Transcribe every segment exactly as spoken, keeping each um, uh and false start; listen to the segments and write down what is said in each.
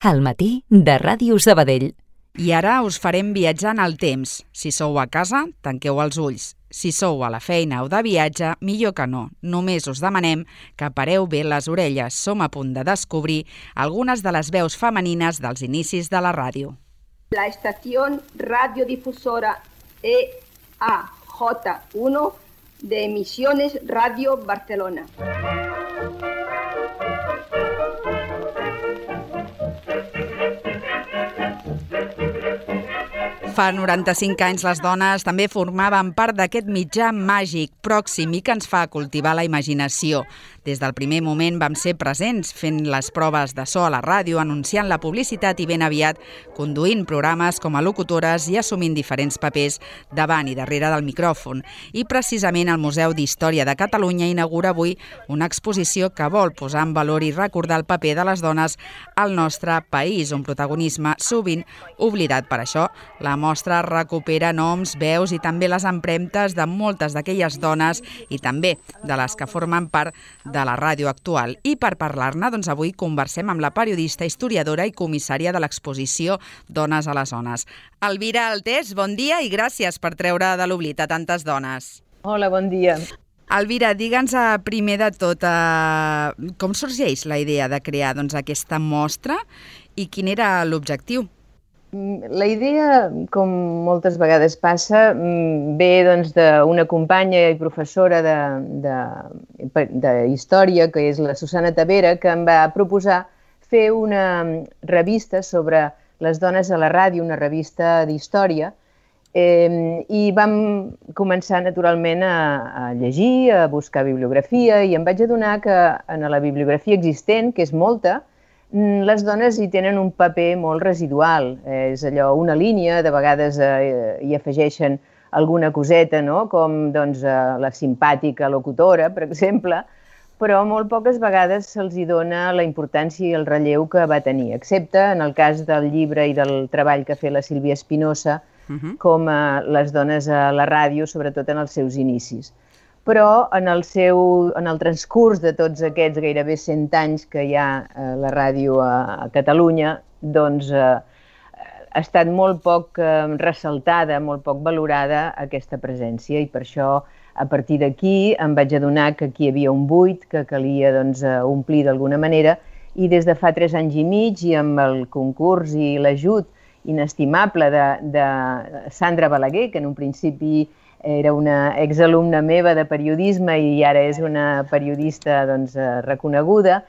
Al matí de Ràdio Sabadell. I ara us farem viatjar en el temps. Si sou a casa, tanqueu els ulls. Si sou a la feina o de viatge, millor que no. Només us demanem que pareu bé les orelles. Som a punt de descobrir algunes de les veus femenines dels inicis de la ràdio. La estación radiodifusora E A J uno de Emisiones Radio Barcelona. Fa noranta-cinc anys les dones també formaven part d'aquest mitjà màgic, pròxim i que ens fa cultivar la imaginació. Des del primer moment vam ser presents fent les proves de so a la ràdio, anunciant la publicitat i ben aviat conduint programes com a locutores i assumint diferents papers davant i darrere del micròfon. I precisament el Museu d'Història de Catalunya inaugura avui una exposició que vol posar en valor i recordar el paper de les dones al nostre país, un protagonisme sovint oblidat. Per això, la mostra recupera noms, veus i també les empremtes de moltes d'aquelles dones i també de les que formen part de la ràdio actual. I per parlar-ne, doncs avui conversem amb la periodista, historiadora i comissària de l'exposició Dones a les Ones. Elvira Altés, bon dia i gràcies per treure de l'oblit a tantes dones. Hola, bon dia. Elvira, digue'ns primer de tot eh, com sorgeix la idea de crear doncs, aquesta mostra i quin era l'objectiu? La idea, com moltes vegades passa, ve doncs, d'una companya i professora de, de, de història, que és la Susana Tavera, que em va proposar fer una revista sobre les dones a la ràdio, una revista d'història, eh, i vam començar naturalment a, a llegir, a buscar bibliografia, i em vaig adonar que en la bibliografia existent, que és molta, les dones hi tenen un paper molt residual. És allò, una línia, de vegades eh, hi afegeixen alguna coseta, no? Com doncs, eh, la simpàtica locutora, per exemple, però molt poques vegades se'ls hi dona la importància i el relleu que va tenir, excepte en el cas del llibre i del treball que ha fet la Sílvia Espinosa, uh-huh. com eh, les dones a la ràdio, sobretot en els seus inicis. Però en el, seu, en el transcurs de tots aquests gairebé cent anys que hi ha eh, la ràdio a, a Catalunya, doncs eh, ha estat molt poc eh, ressaltada, molt poc valorada aquesta presència, i per això a partir d'aquí em vaig adonar que aquí hi havia un buit que calia doncs, omplir d'alguna manera, i des de fa tres anys i mig, i amb el concurs i l'ajut inestimable de, de Sandra Balaguer, que en un principi era una exalumna meva de periodisme i ara és una periodista doncs, reconeguda,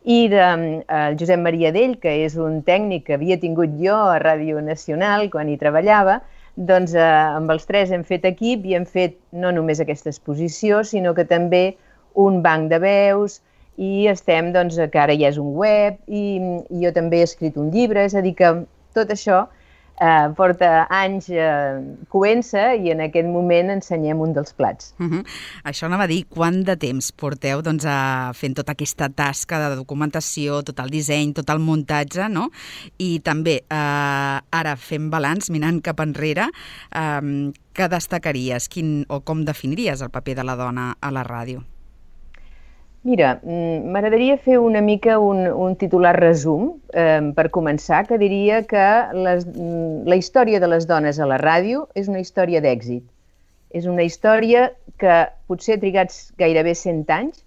i de eh, Josep Maria Dell, que és un tècnic que havia tingut jo a Ràdio Nacional quan hi treballava, doncs eh, amb els tres hem fet equip i hem fet no només aquesta exposició, sinó que també un banc de veus, i estem, doncs, que ara ja és un web, i, i jo també he escrit un llibre, és a dir que tot això Uh, porta anys uh, coent-se i en aquest moment ensenyem un dels plats. Uh-huh. Això anava a dir, quant de temps porteu doncs, a fent tota aquesta tasca de documentació, tot el disseny, tot el muntatge, no? I també, uh, ara fent balanç, mirant cap enrere, um, què destacaries, quin, o com definiries el paper de la dona a la ràdio? Mira, m'agradaria fer una mica un, un titular resum, eh, per començar, que diria que les, la història de les dones a la ràdio és una història d'èxit. És una història que potser ha trigat gairebé cent anys,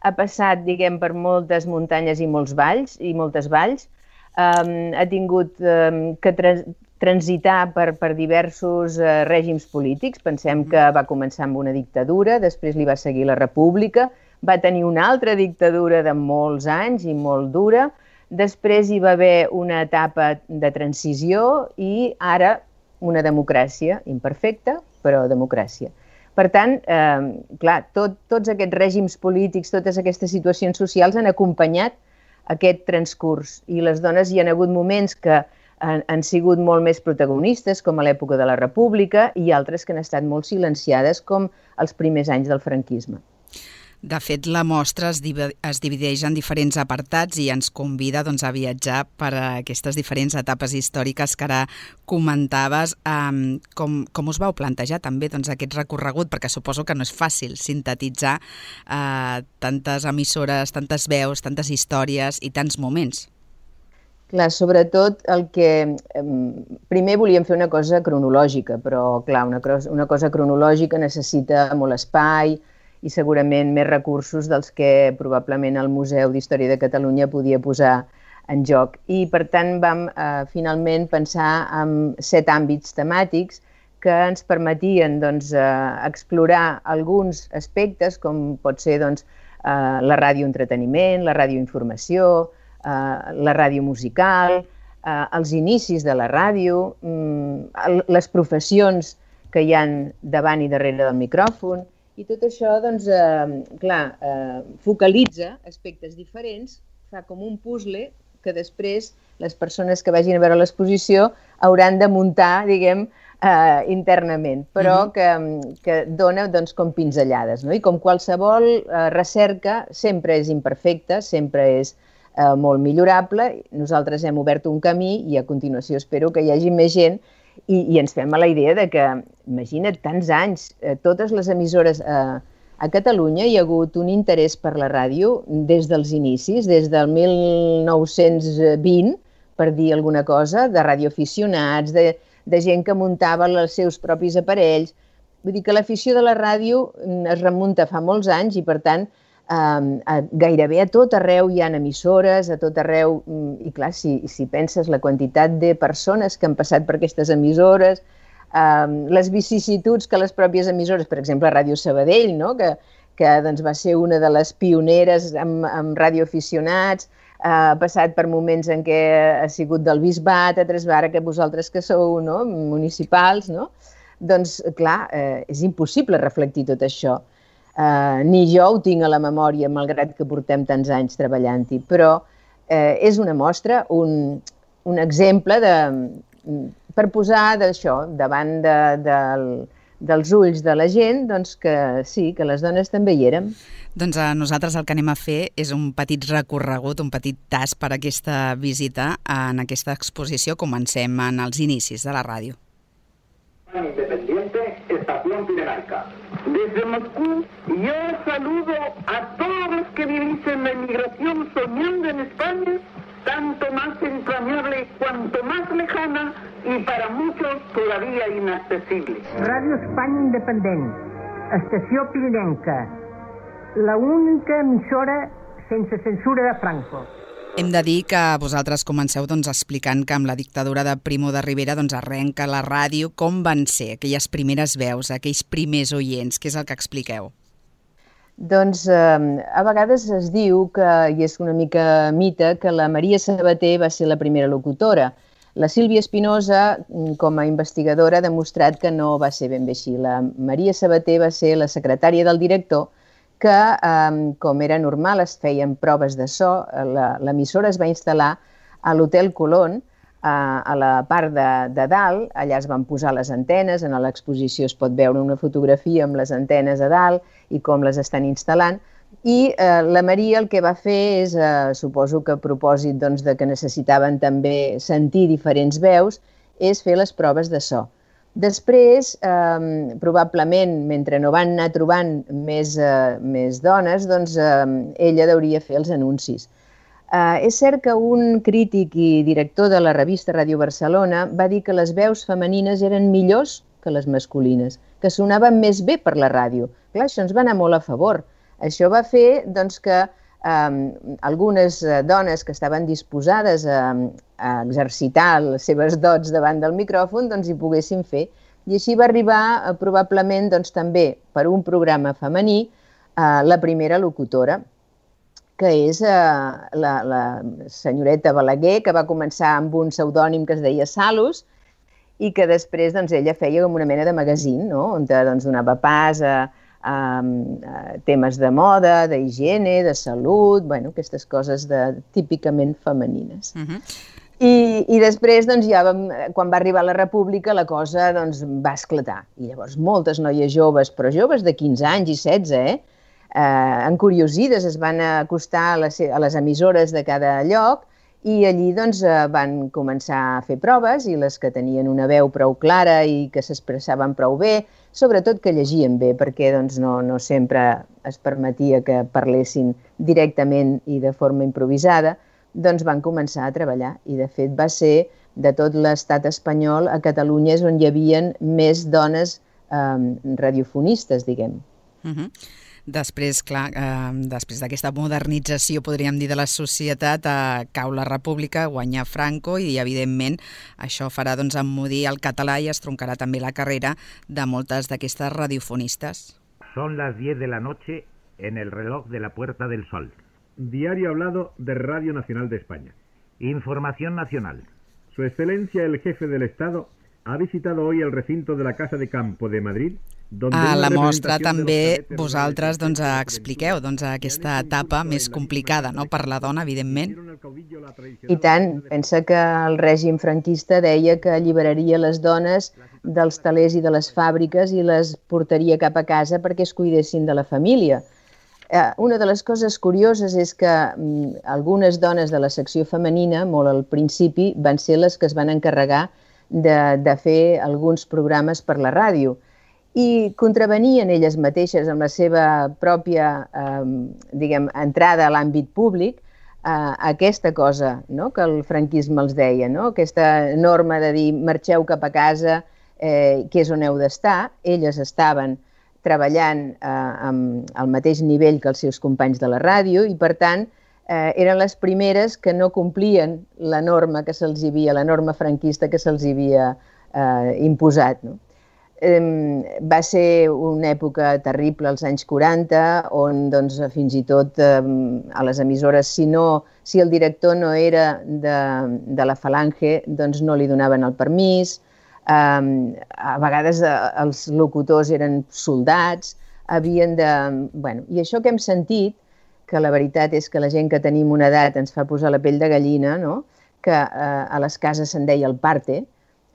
ha passat, diguem, per moltes muntanyes i molts valls, i moltes valls, eh, ha tingut eh, que tra transitar per, per diversos eh, règims polítics. Pensem que va començar amb una dictadura, després li va seguir la república, va tenir una altra dictadura de molts anys i molt dura, després hi va haver una etapa de transició i ara una democràcia imperfecta, però democràcia. Per tant, eh, clar, tot, tots aquests règims polítics, totes aquestes situacions socials han acompanyat aquest transcurs, i les dones hi han hagut moments que han, han sigut molt més protagonistes, com a l'època de la República, i altres que han estat molt silenciades, com els primers anys del franquisme. De fet, la mostra es, div es divideix en diferents apartats i ens convida doncs, a viatjar per a aquestes diferents etapes històriques que ara comentaves. Um, com, com us vau plantejar també doncs, aquest recorregut? Perquè suposo que no és fàcil sintetitzar uh, tantes emissores, tantes veus, tantes històries i tants moments. Clar, sobretot el que... Primer volíem fer una cosa cronològica, però clar, una, una cosa cronològica necessita molt espai i segurament més recursos dels que probablement el Museu d'Història de Catalunya podia posar en joc. I per tant vam eh, finalment pensar en set àmbits temàtics que ens permetien doncs, eh, explorar alguns aspectes, com pot ser doncs, eh, la ràdio-entreteniment, la ràdio-informació, la ràdio musical, eh, els inicis de la ràdio, mm, les professions que hi ha davant i darrere del micròfon, i tot això, doncs, eh, clar, eh, focalitza aspectes diferents, fa com un puzzle que després les persones que vagin a veure l'exposició hauran de muntar, diguem, eh, internament, però que, que dona doncs, com pinzellades, no? I com qualsevol eh, recerca sempre és imperfecta, sempre és Eh, molt millorable. Nosaltres hem obert un camí i a continuació espero que hi hagi més gent i, i ens fem a la idea de que, imagina't, tants anys, eh, totes les emissores eh, a Catalunya hi ha hagut un interès per la ràdio des dels inicis, des del mil nou-cents vint, per dir alguna cosa, de radioaficionats, de, de gent que muntava els seus propis aparells. Vull dir que l'afició de la ràdio es remunta fa molts anys i, per tant, Uh, a, gairebé a tot arreu hi ha emissores, a tot arreu, i clar, si, si penses la quantitat de persones que han passat per aquestes emissores, uh, les vicissituds que les pròpies emissores, per exemple, Ràdio Sabadell, no? que, que doncs, va ser una de les pioneres amb, amb radioaficionats, uh, ha passat per moments en què ha sigut del Bisbat, a Tresvara, que vosaltres que sou no? municipals, no? Doncs clar, uh, és impossible reflectir tot això. Uh, ni jo ho tinc a la memòria, malgrat que portem tants anys treballant-hi, però uh, és una mostra, un, un exemple de, per posar d'això davant de, de, dels ulls de la gent, doncs que sí, que les dones també hi érem. Doncs a nosaltres el que anem a fer és un petit recorregut, un petit tas per aquesta visita en aquesta exposició. Comencem en els inicis de la ràdio. Independiente, Estación Pirenaica. Desde Moscú, yo saludo a todos los que vivís en la emigración soñando en España, tanto más entrañable cuanto más lejana y para muchos todavía inaccesible. Radio España Independent, Estació Pirinenca, la única emissora sense censura de Franco. Hem de dir que vosaltres comenceu doncs, explicant que amb la dictadura de Primo de Rivera doncs, arrenca la ràdio. Com van ser aquelles primeres veus, aquells primers oients? Què és el que expliqueu? Doncs eh, a vegades es diu, que, i és una mica mite, que la Maria Sabater va ser la primera locutora. La Sílvia Espinosa, com a investigadora, ha demostrat que no va ser ben bé així. La Maria Sabater va ser la secretària del director, que, eh, com era normal, es feien proves de so. L'emissora es va instal·lar a l'Hotel Colón, eh, a la part de, de dalt. Allà es van posar les antenes, en l'exposició es pot veure una fotografia amb les antenes a dalt i com les estan instal·lant. I eh, la Maria el que va fer és, eh, suposo que a propòsit doncs, de que necessitaven també sentir diferents veus, és fer les proves de so. Després, eh, probablement, mentre no van anar trobant més, eh, més dones, doncs eh, ella hauria fer els anuncis. Eh, és cert que un crític i director de la revista Ràdio Barcelona va dir que les veus femenines eren millors que les masculines, que sonaven més bé per la ràdio. Clar, això ens va anar molt a favor. Això va fer doncs, que eh, algunes dones que estaven disposades a, a exercitar les seves dots davant del micròfon doncs, hi poguessin fer. I així va arribar, eh, probablement, doncs, també per un programa femení, eh, la primera locutora, que és eh, la, la senyoreta Balaguer, que va començar amb un pseudònim que es deia Salus, i que després doncs, ella feia com una mena de magazín, no? On doncs, donava pas a, a, a temes de moda, d'higiene, de salut, bueno, aquestes coses de, típicament femenines. Uh-huh. I, i després, doncs, ja vam, quan va arribar la República, la cosa doncs, va esclatar. I llavors moltes noies joves, però joves de quinze anys i setze, eh? Eh, encuriosides, es van acostar a les, a les emissores de cada lloc i allí doncs, van començar a fer proves i les que tenien una veu prou clara i que s'expressaven prou bé, sobretot que llegien bé, perquè doncs, no, no sempre es permetia que parlessin directament i de forma improvisada, doncs van començar a treballar. I, de fet, va ser de tot l'estat espanyol, a Catalunya és on hi havia més dones eh, radiofonistes, diguem. Uh-huh. Després, clar, eh, després d'aquesta modernització, podríem dir, de la societat, eh, cau la República, guanya Franco i, evidentment, això farà doncs, emmudir el català i es troncarà també la carrera de moltes d'aquestes radiofonistes. Son las diez de la noche en el reloj de la Puerta del Sol. Diario hablado de Radio Nacional de España. Información nacional. Su Excelencia el Jefe del Estado ha visitado hoy el recinto de la Casa de Campo de Madrid. A la mostra també vosaltres doncs, expliqueu doncs, aquesta etapa més complicada, no?, per la dona, evidentment. I tant, pensa que el règim franquista deia que alliberaria les dones dels talers i de les fàbriques i les portaria cap a casa perquè es cuidessin de la família. Eh, una de les coses curioses és que mm, algunes dones de la secció femenina, molt al principi, van ser les que es van encarregar de, de fer alguns programes per la ràdio i contravenien elles mateixes amb la seva pròpia eh, diguem, entrada a l'àmbit públic eh, aquesta cosa, no?, que el franquisme els deia, no?, aquesta norma de dir marxeu cap a casa, eh, que és on heu d'estar. Elles estaven treballant eh, amb el mateix nivell que els seus companys de la ràdio i, per tant, eh, eren les primeres que no complien la norma que se'ls havia, la norma franquista que se'ls havia eh, imposat, no? Eh, va ser una època terrible, als anys quaranta, on doncs, fins i tot eh, a les emissores, si, no, si el director no era de, de la Falange, doncs no li donaven el permís. Um, a vegades uh, els locutors eren soldats, havien de... Bueno, i això que hem sentit, que la veritat és que la gent que tenim una edat ens fa posar la pell de gallina, no?, que uh, a les cases se'n deia el parte,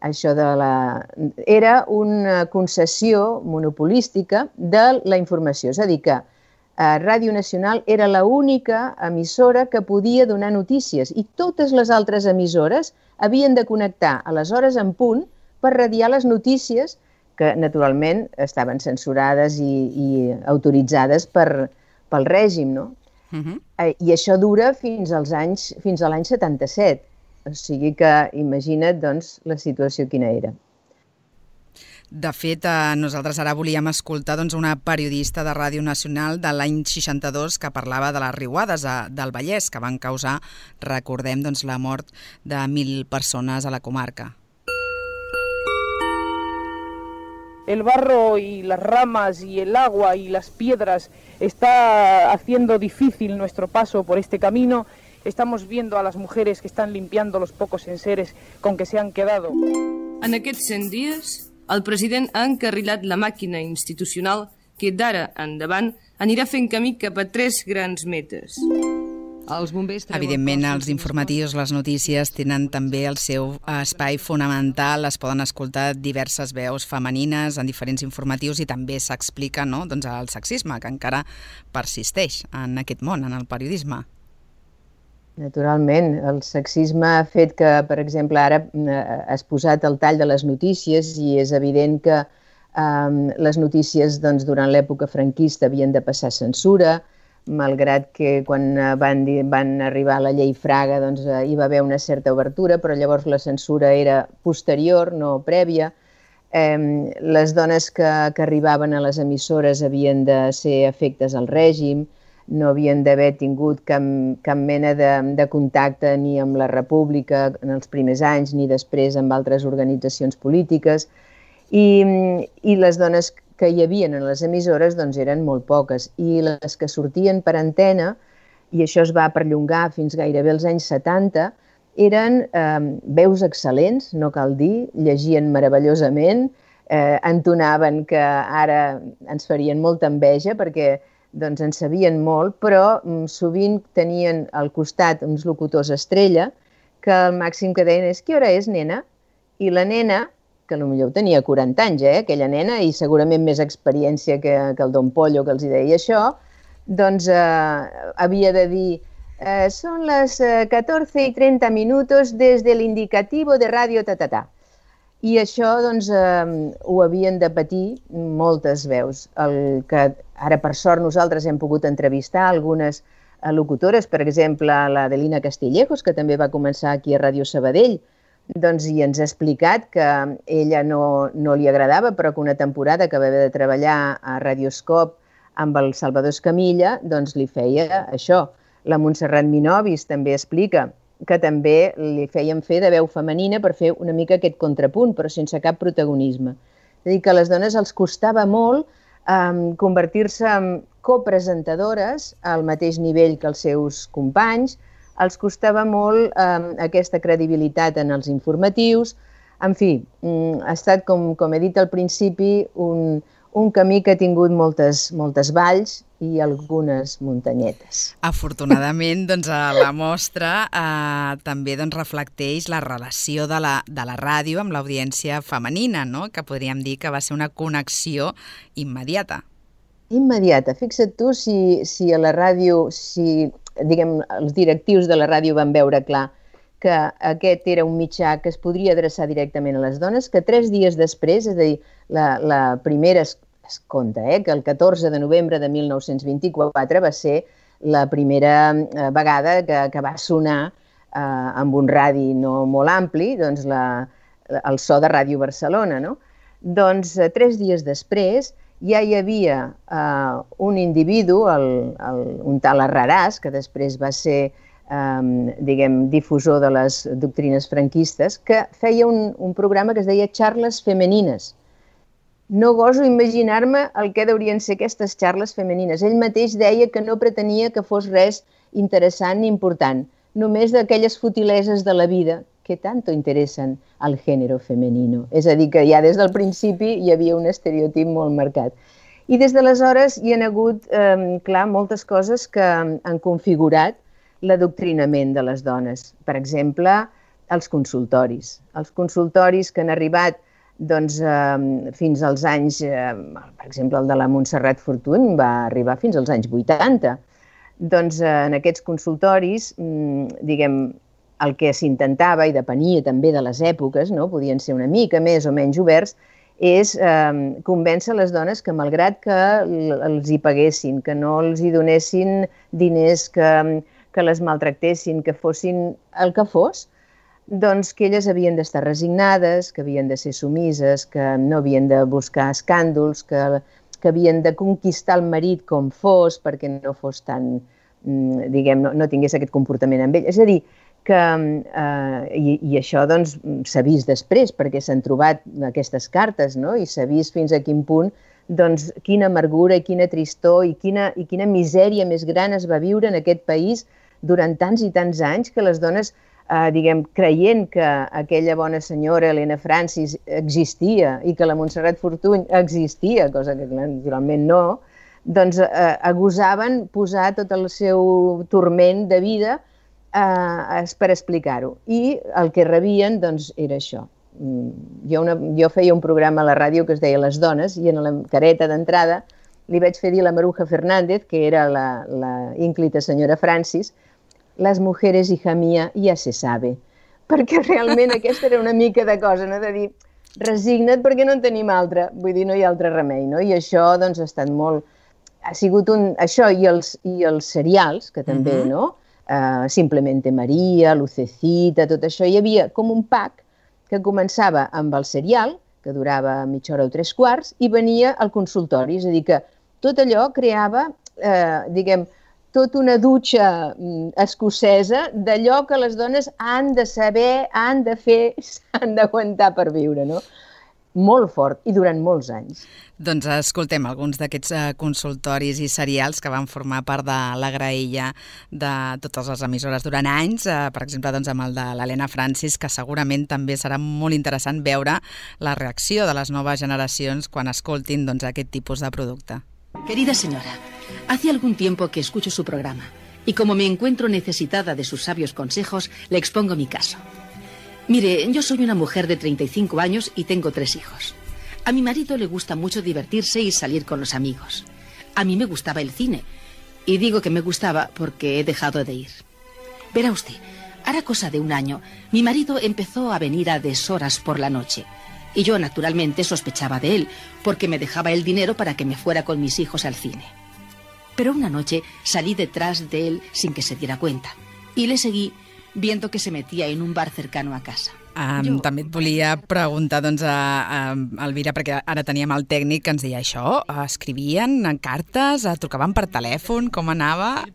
això de la... era una concessió monopolística de la informació, és a dir, que uh, Ràdio Nacional era l'única emissora que podia donar notícies i totes les altres emissores havien de connectar a les hores en punt per radiar les notícies que, naturalment, estaven censurades i, i autoritzades per, pel règim, no? Uh-huh. I això dura fins als anys, fins a l'any setanta-set. O sigui que imagina't, doncs, la situació quina era. De fet, eh, nosaltres ara volíem escoltar doncs, una periodista de Ràdio Nacional de l'any seixanta-dos que parlava de les riuades a, del Vallès, que van causar, recordem, doncs, la mort de mil persones a la comarca. El barro y las ramas y el agua y las piedras está haciendo difícil nuestro paso por este camino. Estamos viendo a las mujeres que están limpiando los pocos enseres con que se han quedado. En aquests cent dies, el president ha encarrilat la màquina institucional que d'ara endavant anirà fent camí cap a tres grans metes. Els bombers Evidentment, els informatius, les notícies, tenen també el seu espai fonamental. Es poden escoltar diverses veus femenines en diferents informatius i també s'explica, no?, doncs, el sexisme, que encara persisteix en aquest món, en el periodisme. Naturalment, el sexisme ha fet que, per exemple, ara has posat el tall de les notícies i és evident que eh, les notícies doncs, durant l'època franquista havien de passar censura, malgrat que quan van, van arribar a la llei Fraga doncs, hi va haver una certa obertura, però llavors la censura era posterior, no prèvia. Eh, les dones que, que arribaven a les emissores havien de ser afectes al règim, no havien d'haver tingut cap, cap mena de, de contacte ni amb la República en els primers anys ni després amb altres organitzacions polítiques. I, i les dones que hi havia en les emissores doncs, eren molt poques i les que sortien per antena, i això es va perllongar fins gairebé als anys setanta, eren eh, veus excel·lents, no cal dir, llegien meravellosament, eh, entonaven que ara ens farien molta enveja perquè doncs, en sabien molt, però mm, sovint tenien al costat uns locutors estrella que el màxim que deien és «Què hora és, nena?» I la nena, que potser tenia quaranta anys, eh, aquella nena, i segurament més experiència que, que el Don Pollo que els deia això, doncs eh, havia de dir eh, «Són les eh, catorze y treinta minutos des de l'indicativo de ràdio ta-ta-ta». I això doncs, eh, ho havien de patir moltes veus. El que ara, per sort, nosaltres hem pogut entrevistar algunes locutores, per exemple, la Adelina Castillejos, que també va començar aquí a Ràdio Sabadell, doncs, i ens ha explicat que ella no, no li agradava, però que una temporada que va haver de treballar a Radioscop amb el Salvador Escamilla, doncs li feia això. La Montserrat Minovis també explica que també li feien fer de veu femenina per fer una mica aquest contrapunt, però sense cap protagonisme. És a dir, que a les dones els costava molt eh, convertir-se en copresentadores al mateix nivell que els seus companys, els costava molt eh, aquesta credibilitat en els informatius. En fi, ha estat, com, com he dit al principi, un, un camí que ha tingut moltes, moltes valls i algunes muntanyetes. Afortunadament, doncs, la mostra eh, també doncs, reflecteix la relació de la, de la ràdio amb l'audiència femenina, no? Que podríem dir que va ser una connexió immediata. Immediata. Fixa't tu si, si a la ràdio, si diguem, els directius de la ràdio van veure clar que aquest era un mitjà que es podria adreçar directament a les dones, que tres dies després, és a dir, la, la primera, es, es compta, eh, que el catorze de novembre de mil nou-cents vint-i-quatre va ser la primera eh, vegada que, que va sonar eh, amb un radi no molt ampli, doncs la, el so de Ràdio Barcelona, no? Doncs eh, tres dies després ja hi havia eh, un individu, el, el, un tal Arraràs, que després va ser eh, diguem, difusor de les doctrines franquistes, que feia un, un programa que es deia Xarles Femenines. No goso imaginar-me el que deurien ser aquestes xarles femenines. Ell mateix deia que no pretenia que fos res interessant ni important, només d'aquelles futileses de la vida que tanto interessen al gènere femenino. És a dir, que ja des del principi hi havia un estereotip molt marcat. I des d'aleshores hi ha hagut, eh, clar, moltes coses que han configurat l'adoctrinament de les dones. Per exemple, els consultoris. Els consultoris que han arribat doncs, eh, fins als anys, eh, per exemple, el de la Montserrat Fortuny va arribar fins als anys vuitanta. Doncs eh, en aquests consultoris, diguem, el que s'intentava, i depenia també de les èpoques, no? Podien ser una mica més o menys oberts, és eh, convèncer les dones que, malgrat que els hi paguessin, que no els hi donessin diners, que, que les maltractessin, que fossin el que fos, doncs que elles havien d'estar resignades, que havien de ser sumises, que no havien de buscar escàndols, que, que havien de conquistar el marit com fos, perquè no fos tan, diguem, no, no tingués aquest comportament amb ell. És a dir, que, eh, i, i això doncs s'ha vist després, perquè s'han trobat aquestes cartes, no? I s'ha vist fins a quin punt, doncs, quina amargura i quina tristor i quina, i quina misèria més gran es va viure en aquest país durant tants i tants anys, que les dones, eh, diguem, creient que aquella bona senyora, Helena Francis, existia i que la Montserrat Fortuny existia, cosa que naturalment no, doncs eh, agosaven posar tot el seu turment de vida eh, per explicar-ho. I el que rebien, doncs, era això. Jo, una, jo feia un programa a la ràdio que es deia Les Dones, i en la careta d'entrada li vaig fer dir a la Maruja Fernández, que era la, la ínclita senyora Francis, les mujeres, hija mía, ja se sabe. Perquè realment aquesta era una mica de cosa, no? De dir, resigna't perquè no en tenim altra, vull dir, no hi ha altre remei, no? I això, doncs, ha estat molt... Ha sigut un... Això i els, i els serials, que també, uh-huh. no? Uh, Simplemente Maria, Lucecita, tot això, hi havia com un pack que començava amb el serial, que durava mitja hora o tres quarts, i venia al consultori. És a dir, que tot allò creava, eh, diguem, tota una dutxa escocesa d'allò que les dones han de saber, han de fer, s'han d'aguantar per viure, no? Molt fort, i durant molts anys. Doncs escoltem alguns d'aquests uh, consultoris i serials que van formar part de la graella de totes les emissores durant anys, uh, per exemple, doncs, amb el de l'Helena Francis, que segurament també serà molt interessant veure la reacció de les noves generacions quan escoltin, doncs, aquest tipus de producte. Querida señora, hace algún tiempo que escucho su programa y como me encuentro necesitada de sus sabios consejos, le expongo mi caso. Mire, yo soy una mujer de treinta y cinco años y tengo tres hijos. A mi marido le gusta mucho divertirse y salir con los amigos. A mí me gustaba el cine. Y digo que me gustaba porque he dejado de ir. Verá usted, hará cosa de un año, mi marido empezó a venir a deshoras por la noche. Y yo, naturalmente, sospechaba de él, porque me dejaba el dinero para que me fuera con mis hijos al cine. Pero una noche salí detrás de él sin que se diera cuenta y le seguí viendo que se metía en un bar cercano a casa. Um, jo... També et volia preguntar doncs, a, a Elvira, perquè ara teníem el tècnic que ens deia això, escrivien cartes, trucaven per telèfon, com anava?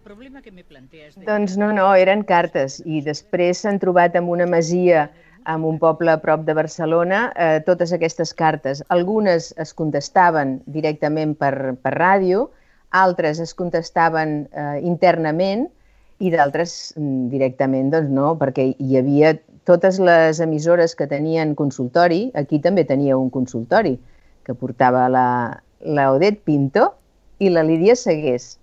Doncs no, no, eren cartes, i després s'han trobat en una masia en un poble a prop de Barcelona eh, totes aquestes cartes. Algunes es contestaven directament per, per ràdio, altres es contestaven eh, internament i d'altres directament doncs no, perquè hi havia totes les emissores que tenien consultori. Aquí també tenia un consultori que portava la, la Odette Pinto i la Lídia Segués.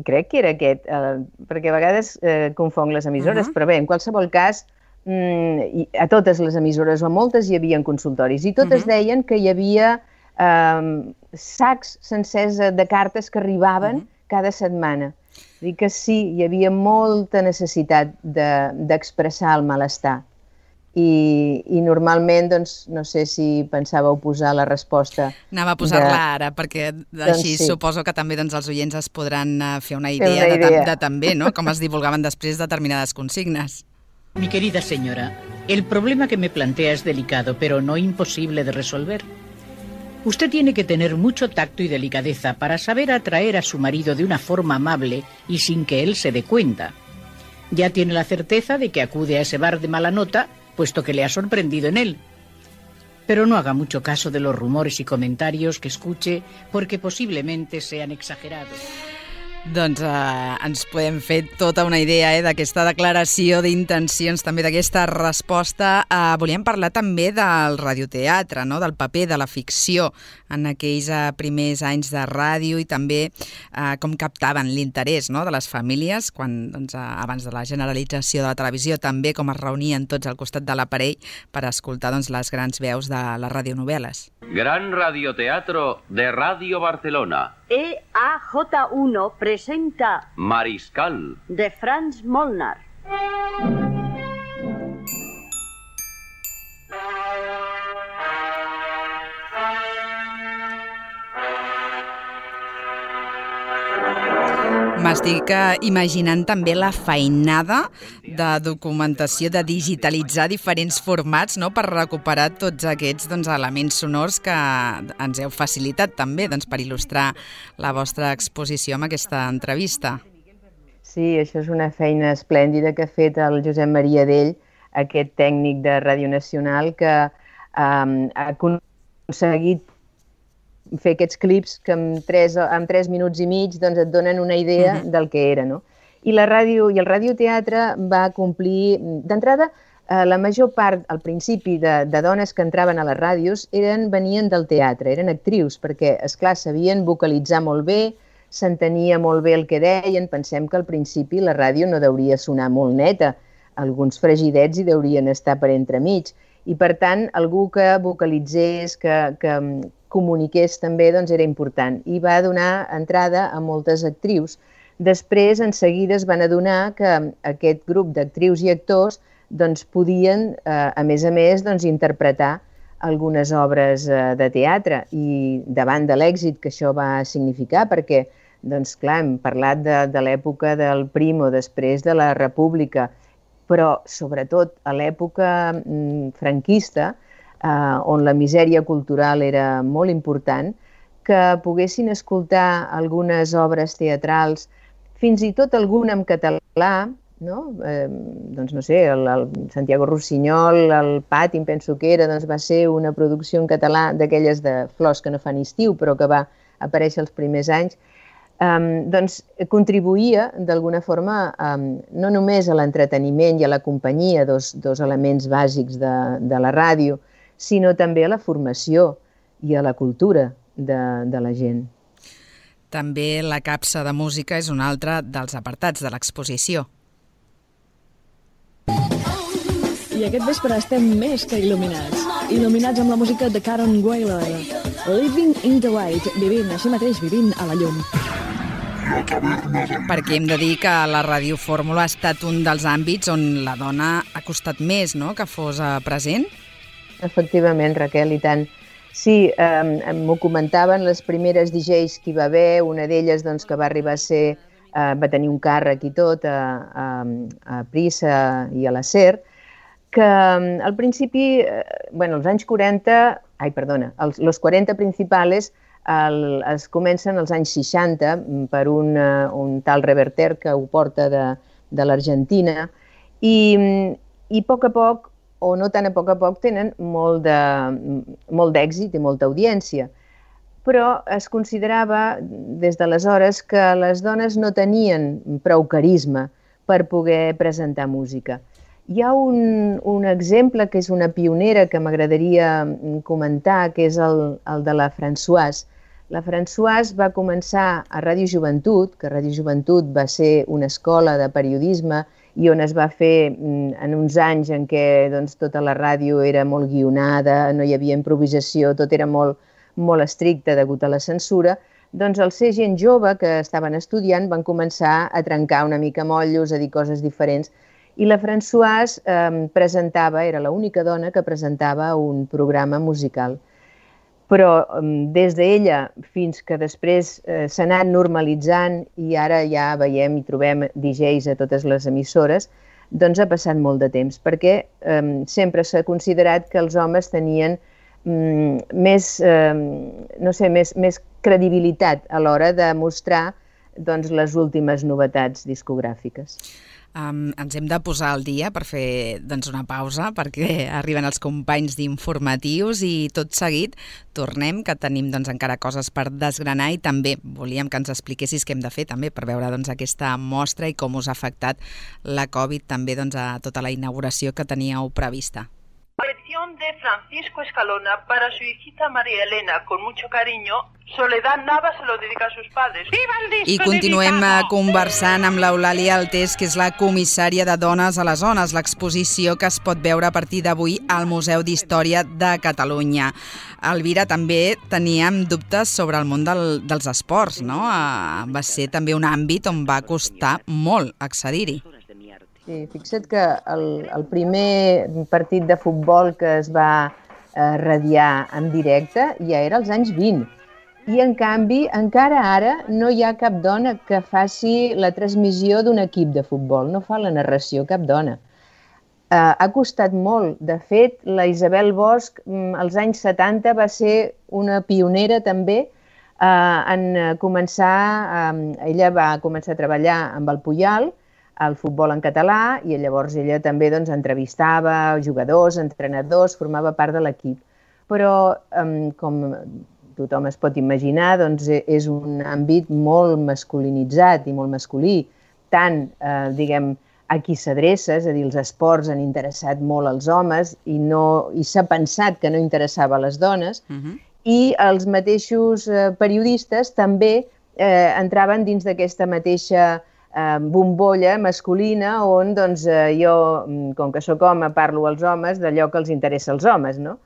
Crec que era aquest, eh, perquè a vegades eh, confonc les emissores, uh-huh. però bé, en qualsevol cas, mm, a totes les emissores o moltes hi havia consultoris i totes uh-huh. deien que hi havia eh, sacs sencers de cartes que arribaven uh-huh. cada setmana. Dic que sí, hi havia molta necessitat d'expressar de, el malestar. I, i normalment, doncs, no sé si pensàveu posar la resposta... Anava a posar-la de... ara, perquè doncs així sí. suposo que també doncs, els oients es podran fer una idea, una idea. De, de també, ¿no? Com es divulgaven després determinades consignes. Mi querida señora, el problema que me plantea es delicado, pero no imposible de resolver. Usted tiene que tener mucho tacto y delicadeza para saber atraer a su marido de una forma amable y sin que él se dé cuenta. Ya tiene la certeza de que acude a ese bar de mala nota, puesto que le ha sorprendido en él. Pero no haga mucho caso de los rumores y comentarios que escuche, porque posiblemente sean exagerados. Doncs eh, ens podem fer tota una idea eh, d'aquesta declaració d'intencions, també d'aquesta resposta. Eh, volíem parlar també del radioteatre, no? Del paper de la ficció en aquells eh, primers anys de ràdio i també eh, com captaven l'interès, no? De les famílies quan, doncs, eh, abans de la generalització de la televisió, també com es reunien tots al costat de l'aparell per escoltar doncs, les grans veus de les radionovel·les. Gran radioteatro de Radio Barcelona. E A J uno presenta Mariscal de Franz Molnar. M'estic imaginant també la feinada de documentació, de digitalitzar diferents formats, no?, per recuperar tots aquests doncs, elements sonors que ens heu facilitat també doncs, per il·lustrar la vostra exposició amb aquesta entrevista. Sí, això és una feina esplèndida que ha fet el Josep Maria Dell, aquest tècnic de Ràdio Nacional, que um, ha aconseguit fer aquests clips que en tres, en tres minuts i mig doncs, et donen una idea uh-huh. del que era. No? I la ràdio i el radioteatre va complir... D'entrada, eh, la major part, al principi, de, de dones que entraven a les ràdios eren, venien del teatre, eren actrius, perquè, esclar, sabien vocalitzar molt bé, s'entenia molt bé el que deien. Pensem que al principi la ràdio no deuria sonar molt neta, alguns fregidets hi deurien estar per entremig. I, per tant, algú que vocalitzés, que, que comuniqués també, doncs era important. I va donar entrada a moltes actrius. Després, en seguida, es van adonar que aquest grup d'actrius i actors doncs, podien, eh, a més a més, doncs, interpretar algunes obres eh, de teatre. I davant de l'èxit que això va significar, perquè, doncs, clar, hem parlat de, de l'època del Primo, després de la República, però sobretot a l'època mm, franquista, eh, on la misèria cultural era molt important, que poguessin escoltar algunes obres teatrals, fins i tot alguna en català, no? Eh, doncs no sé, el, el Santiago Rossinyol, el Pati, em penso que era, doncs va ser una producció en català d'aquelles de Flors que no fan estiu, però que va aparèixer els primers anys. Um, doncs contribuïa d'alguna forma um, no només a l'entreteniment i a la companyia, dos, dos elements bàsics de, de la ràdio, sinó també a la formació i a la cultura de, de la gent. També la capsa de música és un altre dels apartats de l'exposició. I aquest vespre estem més que il·luminats. Il·luminats amb la música de Karen Wheeler. Living in the Light, vivint, així mateix, vivint a la llum. Perquè hem de dir que la radiofórmula ha estat un dels àmbits on la dona ha costat més, no?, que fos present. Efectivament, Raquel, i tant. Sí, eh, m'ho comentaven les primeres D Js que hi va haver, una d'elles doncs, que va arribar a ser, eh, va tenir un càrrec i tot a, a, a Prisa i a la SER, que al principi, eh, bueno, als anys quaranta, ai, perdona, els, los quaranta principals el, es comencen als anys seixanta per un, un tal Reverter que ho porta de, de l'Argentina i, i a poc a poc, o no tan a poc a poc, tenen molt de, molt d'èxit i molta audiència. Però es considerava des d'aleshores que les dones no tenien prou carisma per poder presentar música. Hi ha un, un exemple que és una pionera que m'agradaria comentar, que és el, el de la Françoise. La Françoise va començar a Ràdio Joventut, que Ràdio Joventut va ser una escola de periodisme i on es va fer en uns anys en què doncs, tota la ràdio era molt guionada, no hi havia improvisació, tot era molt, molt estricte degut a la censura, doncs al ser gent jove que estaven estudiant van començar a trencar una mica motllos, a dir coses diferents, i la Françoise eh, presentava, era l'única dona que presentava un programa musical. Però des d'ella fins que després eh, s'ha anat normalitzant i ara ja veiem i trobem D Js a totes les emissores, doncs ha passat molt de temps, perquè eh, sempre s'ha considerat que els homes tenien mm, més, eh, no sé, més, més credibilitat a l'hora de mostrar doncs, les últimes novetats discogràfiques. Um, ens hem de posar al dia per fer doncs, una pausa perquè arriben els companys d'informatius i tot seguit tornem, que tenim doncs, encara coses per desgranar i també volíem que ens expliquessis què hem de fer també per veure doncs, aquesta mostra i com us ha afectat la Covid també doncs, a tota la inauguració que teníeu prevista. Colección de Francisco Escalona para su hijita María Elena, con mucho cariño. Soledad Nava se lo dedica a sus padres. ¡Viva el disco! I continuem dedicado! Conversant amb l'Eulàlia Altés, que és la comissària de Dones a les Zones, l'exposició que es pot veure a partir d'avui al Museu d'Història de Catalunya. Elvira, també teníem dubtes sobre el món del, dels esports, no? Va ser també un àmbit on va costar molt accedir-hi. Sí, fixa't que el, el primer partit de futbol que es va eh, radiar en directe ja era als anys vint. I, en canvi, encara ara no hi ha cap dona que faci la transmissió d'un equip de futbol. No fa la narració cap dona. Eh, ha costat molt. De fet, la Isabel Bosch, als anys setanta, va ser una pionera també eh, en començar... Eh, ella va començar a treballar amb el Puyal, el futbol en català, i llavors ella també doncs, entrevistava jugadors, entrenadors, formava part de l'equip. Però, eh, com tothom es pot imaginar, doncs, és un àmbit molt masculinitzat i molt masculí. Tant, eh, diguem, a qui s'adreça, és a dir, els esports han interessat molt als homes i, no, i s'ha pensat que no interessava a les dones, uh-huh. i els mateixos eh, periodistes també eh, entraven dins d'aquesta mateixa eh, bombolla masculina on doncs, eh, jo, com que sóc home, parlo als homes d'allò que els interessa als homes, no?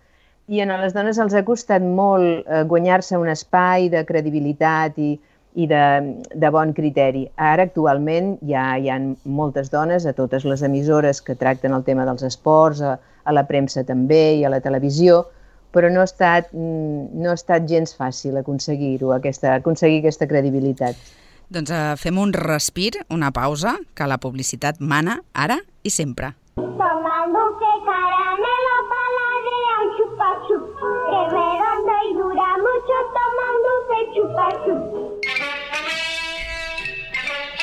I a les dones els ha costat molt eh, guanyar-se un espai de credibilitat i, i de, de bon criteri. Ara, actualment, ja hi ha moltes dones a totes les emissores que tracten el tema dels esports, a, a la premsa també i a la televisió, però no ha estat, no ha estat gens fàcil aconseguir-ho, aquesta, aconseguir aquesta credibilitat. Doncs eh, fem un respir, una pausa, que la publicitat mana ara i sempre. Tomándose caramelo paladea un chupa-chup, que redondo y dura mucho tomándose chupa-chup.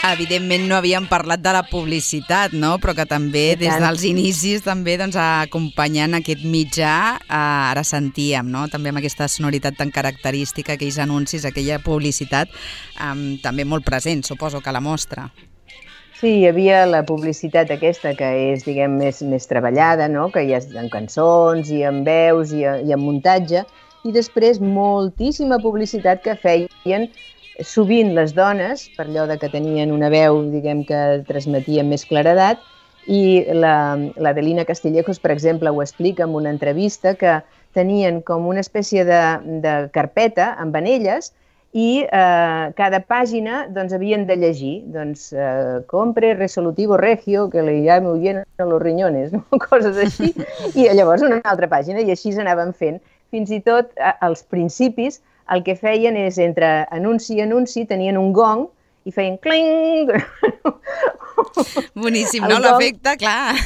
Evidentment no havíem parlat de la publicitat, no? Però que també des dels inicis també doncs, acompanyant aquest mitjà eh, ara sentíem, no? També amb aquesta sonoritat tan característica, aquells anuncis, aquella publicitat eh, també molt present, suposo que a la mostra. Sí, hi havia la publicitat aquesta que és, diguem, més, més treballada, no? Que hi ha en cançons i en veus i, i en muntatge, i després moltíssima publicitat que feien sovint les dones, per allò de que tenien una veu, diguem, que transmetia més claredat, i la, la Adelina Castillejos, per exemple, ho explica en una entrevista, que tenien com una espècie de, de carpeta amb anelles i eh, cada pàgina doncs, havien de llegir, doncs, eh, compre resolutivo regio que le llame bien a los riñones, no? Coses així, i llavors una altra pàgina, i així anaven fent, fins i tot als principis el que feien és entre anunci i anunci tenien un gong i feien cling. Boníssim, no? L'efecte, clar.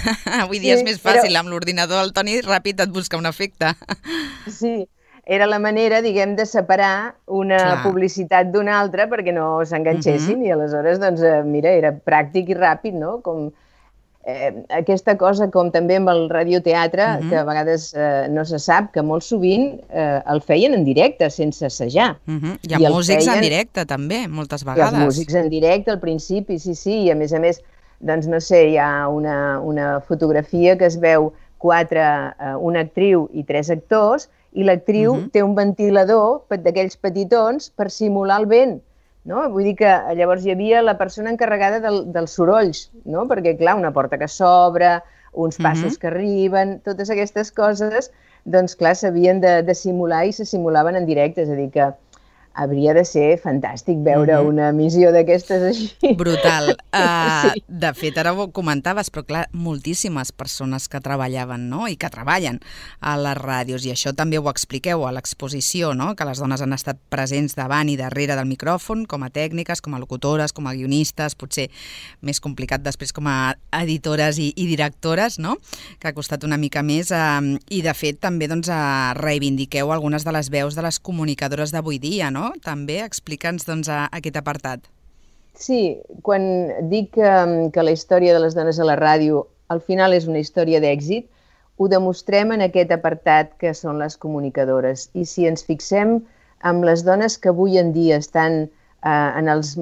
Avui dia és més fàcil. Amb l'ordinador, el Toni ràpid et busca un efecte. Sí, era la manera, diguem, de separar una publicitat d'una altra perquè no s'enganxessin i aleshores, doncs, mira, era pràctic i ràpid, no? Com aquesta cosa, com també amb el radioteatre, que a vegades no se sap, que molt sovint el feien en directe, sense assajar. Hi ha músics en directe, també, moltes vegades. Hi ha músics en directe al principi, sí, sí, i a més a més, doncs no sé, hi ha una fotografia que es veu quatre, una actriu i tres actors, i l'actriu té un ventilador d'aquells petitons per simular el vent. Vull dir que llavors hi havia la persona encarregada dels sorolls, perquè, clar, una porta que s'obre, uns passos que arriben, totes aquestes coses, doncs, clar, s'havien de simular i se simulaven en directe, és a dir que hauria de ser fantàstic veure una emissió d'aquestes així. Brutal. De fet, ara ho comentaves, però clar, moltíssimes persones que treballaven, no?, i que treballen a les ràdios, i això també ho expliqueu a l'exposició, no?, que les dones han estat presents davant i darrere del micròfon, com a tècniques, com a locutores, com a guionistes, potser més complicat després com a editores i directores, no?, que ha costat una mica més, i de fet també reivindiqueu algunes de les veus de les comunicadores d'avui dia, no? També explica'ns doncs, aquest apartat. Sí, quan dic que la història de les dones a la ràdio al final és una història d'èxit, ho demostrem en aquest apartat que són les comunicadores. I si ens fixem en les dones que avui en dia estan en els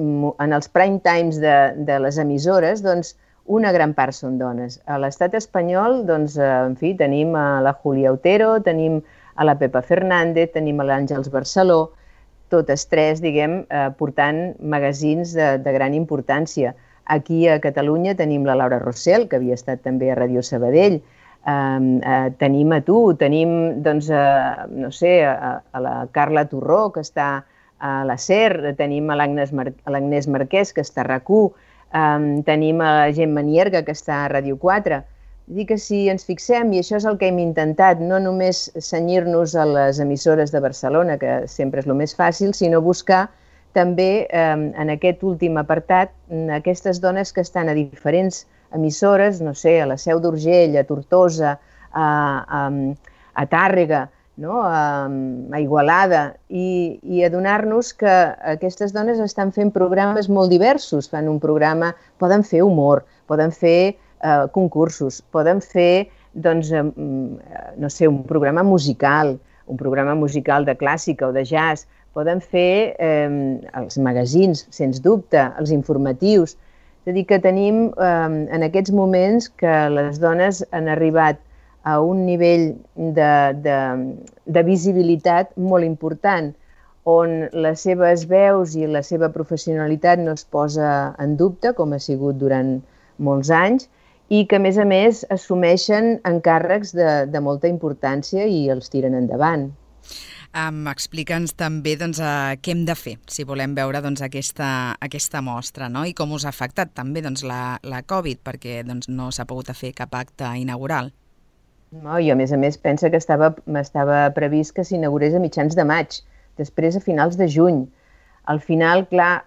prime times de les emissores, doncs una gran part són dones. A l'estat espanyol, doncs, en fi, tenim a la Julia Otero, tenim a la Pepa Fernández, tenim a l'Àngels Barceló, totes tres, diguem, portant magazins de gran importància. Aquí a Catalunya tenim la Laura Rossell, que havia estat també a Ràdio Sabadell, tenim a tu, tenim, doncs, no sé, a la Carla Torró, que està a la SER, tenim a l'Agnès Marquès, que està a RAC1, tenim a la Gemma Nierga, que està a Ràdio quatre. Dic que si ens fixem, i això és el que hem intentat, no només cenyir-nos a les emissores de Barcelona, que sempre és el més fàcil, sinó buscar també en aquest últim apartat aquestes dones que estan a diferents emissores, no sé, a la Seu d'Urgell, a Tortosa, a Tàrrega, a Igualada, i adonar-nos que aquestes dones estan fent programes molt diversos. Fan un programa, poden fer humor, poden fer concursos, poden fer, doncs, no sé, un programa musical, un programa musical de clàssica o de jazz, poden fer els magazins, sens dubte, els informatius. És a dir, que tenim en aquests moments que les dones han arribat a un nivell de visibilitat molt important, on les seves veus i la seva professionalitat no es posa en dubte, com ha sigut durant molts anys, i que, a més a més, assumeixen encàrrecs de molta importància i els tiren endavant. Explica'ns també què hem de fer si volem veure aquesta mostra, i com us ha afectat també la Covid, perquè no s'ha pogut fer cap acte inaugural. I, a més a més, pensa que estava previst que s'inaugurés a mitjans de maig, després a finals de juny. Al final, clar,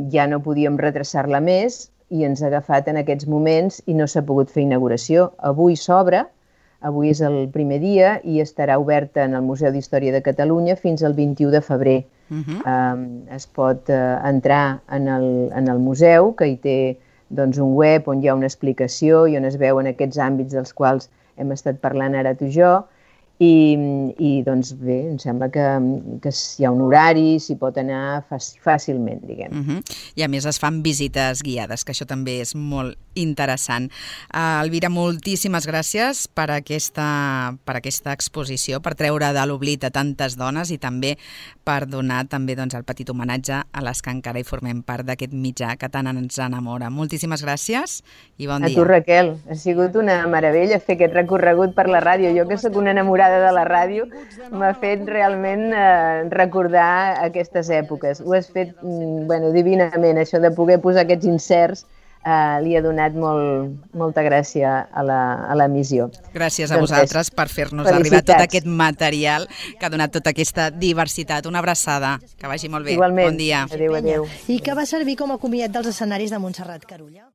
ja no podíem retrasar-la més, i ens ha agafat en aquests moments i no s'ha pogut fer inauguració. Avui s'obre, avui és el primer dia i estarà oberta en el Museu d'Història de Catalunya fins al vint-i-u de febrer. Es pot entrar en el museu, que hi té un web on hi ha una explicació i on es veuen aquests àmbits dels quals hem estat parlant ara tu i jo, i doncs bé, em sembla que hi ha un horari, s'hi pot anar fàcilment, diguem. I a més es fan visites guiades, que això també és molt interessant. Elvira, moltíssimes gràcies per aquesta exposició, per treure de l'oblit a tantes dones i també per donar també el petit homenatge a les que encara hi formem part d'aquest mitjà que tant ens enamora. Moltíssimes gràcies i bon dia. A tu, Raquel, ha sigut una meravella fer aquest recorregut per la ràdio. Jo que sóc una enamorada de la ràdio, m'ha fet realment recordar aquestes èpoques. Ho has fet divinament, això de poder posar aquests inserts eh, li ha donat molt, molta gràcia a la, a l'emissió. Gràcies a doncs vosaltres per fer-nos arribar tot aquest material que ha donat tota aquesta diversitat. Una abraçada, que vagi molt bé. Igualment. Bon dia. Adéu, adéu. I que va servir com a comiat dels escenaris de Montserrat Carulla.